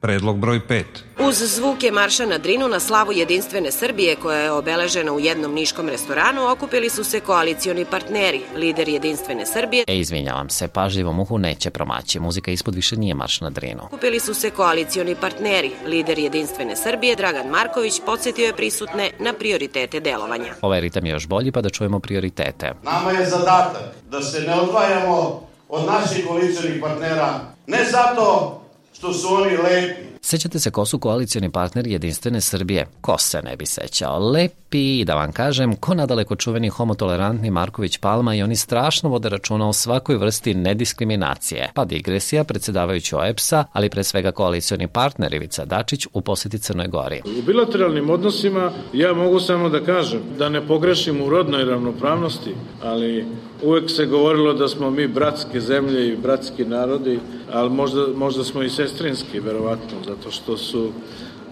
Predlog broj 5. Uz zvuke marša na Drinu na slavu Jedinstvene Srbije, koja je obeležena u jednom niškom restoranu, okupili su se koalicioni partneri, lider Jedinstvene Srbije. Izvinjavam se, pažljivom uhu neće promaći, muzika ispod više nije marš na Drinu. Okupili su se koalicioni partneri, lider Jedinstvene Srbije, Dragan Marković, podsjetio je prisutne na prioritete delovanja. Ovaj ritam je još bolji, pa da čujemo prioritete. Nama je zadatak da se ne odvajamo od naših koalicionih partnera, ne zato što su oni lepi. Sećate se ko su koalicioni partneri Jedinstvene Srbije? Ko se ne bi sećao? Lepi, da vam kažem, ko nadaleko čuveni homotolerantni Marković Palma, i oni strašno vode računa o svakoj vrsti nediskriminacije. Pa digresija, predsedavajući OEBS-a, ali pre svega koalicioni partner Ivica Dačić u poseti Crnoj Gori. U bilateralnim odnosima ja mogu samo da kažem da ne pogrešim u rodnoj ravnopravnosti, ali uvek se govorilo da smo mi bratske zemlje i bratski narodi, ali možda smo i sestrinski, verovatno, zato što su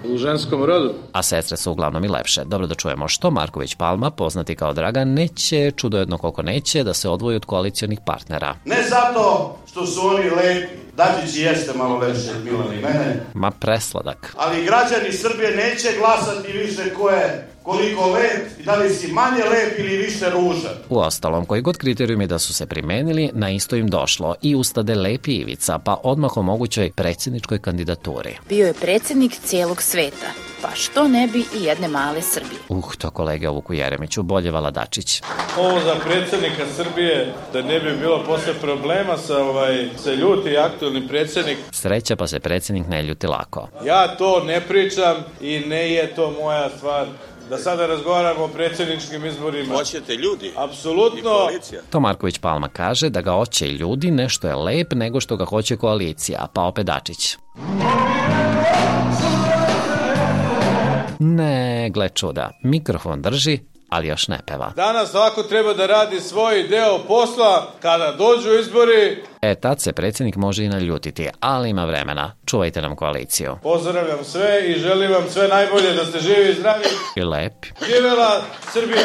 u ženskom rodu. A sestre su uglavnom i lepše. Dobro, da čujemo što Marković Palma, poznati kao Dragan, neće, čudo jedno koliko neće, da se odvoji od koalicionih partnera. Ne zato što su oni lepi, Dačić jeste malo lepši od Milana i mene. Ma presladak. Ali građani Srbije neće glasati više ko je koliko lep i da li si manje lep ili više ružan. U ostalom, koji god kriterijumi da su se primenili, na isto im došlo i ustade lepi Ivica, pa odmah o mogućoj predsjedničkoj kandidaturi. Bio je predsjednik cijelog sveta, pa što ne bi i jedne male Srbije. To kolege o Vuku Jeremiću, bolje vala Dačić. Ovo za predsjednika Srbije, da ne bi bilo posle problema sa ljuti aktualni predsjednik. Sreća, pa se predsjednik ne ljuti lako. Ja to ne pričam i ne je to moja stvar. Da sada razgovaramo o predsjedničkim izborima. Hoćete ljudi? Apsolutno. To Marković Palma kaže da ga hoće ljudi, nešto je lep nego što ga hoće koalicija, pa opet Dačić. Ne, gle čuda, mikrofon drži, ali još ne peva. Danas svako treba da radi svoj deo posla kada dođu izbori. Tad se predsjednik može i naljutiti, ali ima vremena. Čuvajte nam koaliciju. Pozdravljam sve i želim vam sve najbolje, da ste živi i zdravi. I lepi. Živela Srbija!